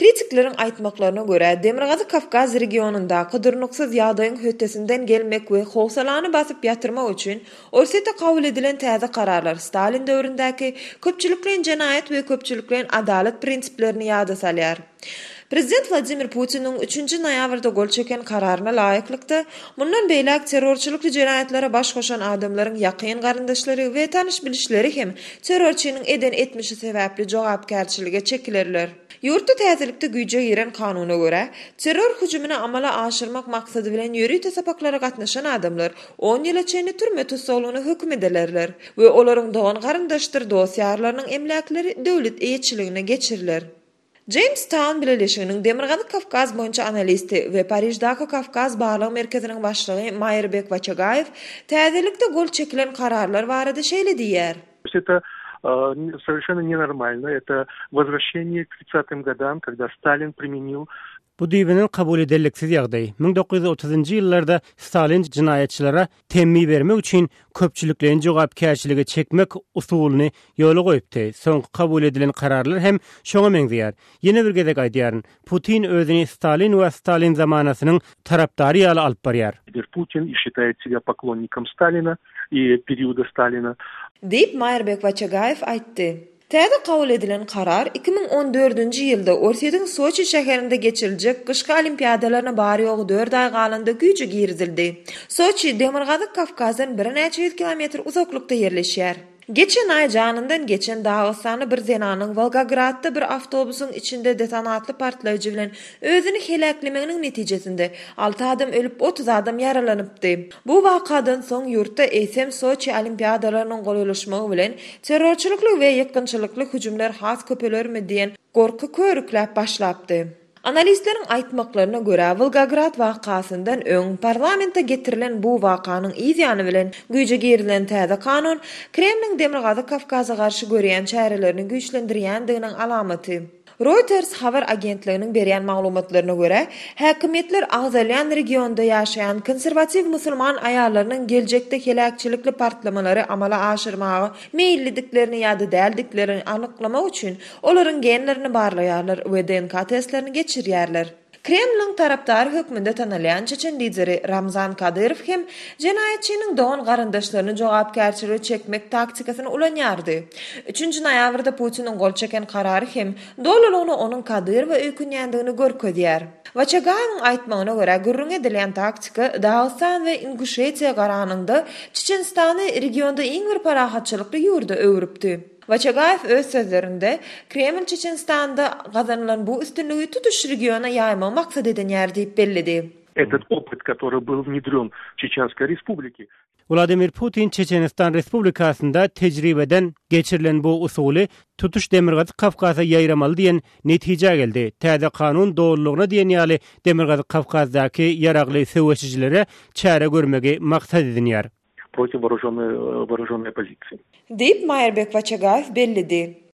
Kritikleriň aýtmaklaryna görä, Demirgazyk Kawkaz regionyndaky durnuksyz ýagdaýyň hötdesinden gelmek we howsalany basyp ýatyrmak üçin Orsýetde kabul edilen täze kararlar Stalin döwründäki köpçülikleýin jenaýat we köpçülikleýin adalat prinsiplerini ýada salýar. Prezident Wladimir Putiniň üçünji noýabrda gol çeken kararyna laýyklykda, mundan beýläk terrorçylykly jenaýatlara baş goşan adamlaryň ýakyn garyndaşlary we tanyş-bilişleri hem terrorçynyň eden etmişi sebäpli jogapkärçilige çekilerler. Ýurtda täzelikde güýje giren kanuna görä, terror hüjümini amala aşyrmak maksady bilen ýörite sapaklara gatnaşan adamlar on ýyla çenli türme tussaglygyna höküm edilerler we olaryň dogan-garyndaşdyr dost-ýarlarynyň emläkleri döwlet eýeçiligine geçiriler. Jamestown bileleşiginiň Demirgazyk Kawkaz boýunça analisti we Pariždaky Kawkaz barlag merkeziniň başlygy Maýrbek Waçagaýew täzelikde gol çekilen kararlar barada şeýle diýýär. Это совершенно ненормально, это возвращение к тридцатым годам, когда Сталин применил Bu düýbünden kabul ederliksiz ýagdaý. 1930-njy ýyllarda Stalin jenaýatçylara temmi bermek üçin köpçülikleýin jogapkärçilige çekmek usulyny ýola goýupdy. Soňky kabul edilen kararlar hem şoňa meňzeýär. Ýene bir gezek aýdýaryn, Putin özüni Stalin we Stalin zamanasynyň tarapdary ýaly alyp barýar. Putin i считает себя поклонником Сталина и периода Сталина. Diýip, Maýrbek Waçagaýew aýtdy. Täze kabul edilen karar 2014-nji ýylda Orsýetiň Soçi şäherinde geçiriljek gyşky olimpiadalaryna bary-ýogy dört aý galanda güýje girizildi. Soçi Demirgazyk Kawkazdan birnäçe ýüz kilometr uzaklykda ýerleşýär. Geçen aý janyndan geçen dagystanly bir zenanyň Wolgogradda bir awtobusyň içinde detonatly partlaýjy bilen özüni heläklemeginiň netijesinde alty adam ölüp, 30 adam ýaralanypdy. Bu wakadan soň ýurtda eýsem Soçi olimpiadalarynyň golaýlaşmagy bilen terrorçylykly we ýykgynçylykly hüjümler has köpelermi diýen gorky körükläp başlapdy. Analistleriň aýtmaklaryna görä, Wolgograd wakasyndan öň parlamente getirilen bu wakanyň yz ýany bilen güýje girizilen täze kanun Kremliň Demirgazyk Kawkaza garşy görýän çärelerini güýçlendirýändiginiň alamaty. Reuters habar agentliginiň berýän maglumatlaryna görä, häkimiýetler agzalýan regionda ýaşaýan konserwatiw musulman aýallarynyň geljekde heläkçilikli partlamalary amala aşyrmaga meýillidiklerini ýa-da däldiklerini anyklamak üçin olaryň genlerini barlaýarlar we DNK testlerini geçirýärler. Kremliň tarapdary hökmünde tanalýan çeçen lideri Ramzan Kadyrow hem jenaýatçynyň dogan-garyndaşlaryny jogapkärçilige çekmek taktikasyny ulanýardy. Üçünji noýabrda Putiniň gol çeken karary hem dolulygyna onuň Kadyrowa öýkünýändigini görkezýär. Waçagaýewiň aýtmagyna görä, gürrüňi edilýän taktika Dagystan we Inguşetiýa garanyňda Çeçenistany regionda iň bir parahatçylykly ýurda öwrüpdi. Waçagaýew öz sözlerinde, Kreml Çeçenistanda gazanylan bu üstünligi tutuş regiona ýaýmagy maksat edinýär diýip belledi. Этот опыт, который был внедрен в Чеченской Республике. Wladimir Putin Çeçenistan Respublikasynda tejribeden geçirilen bu usuly tutuş Demirgazyk Kawkaza ýaýramaly diýen netijä geldi. Täze kanun dolulygyna diýen ýaly Demirgazyk Kawkazdaky ýaragly söweşijilere çäre görmegi maksat edinýär. Против вооруженной вооруженной оппозиции. Diýip, Maýrbek Waçagaýew belledi.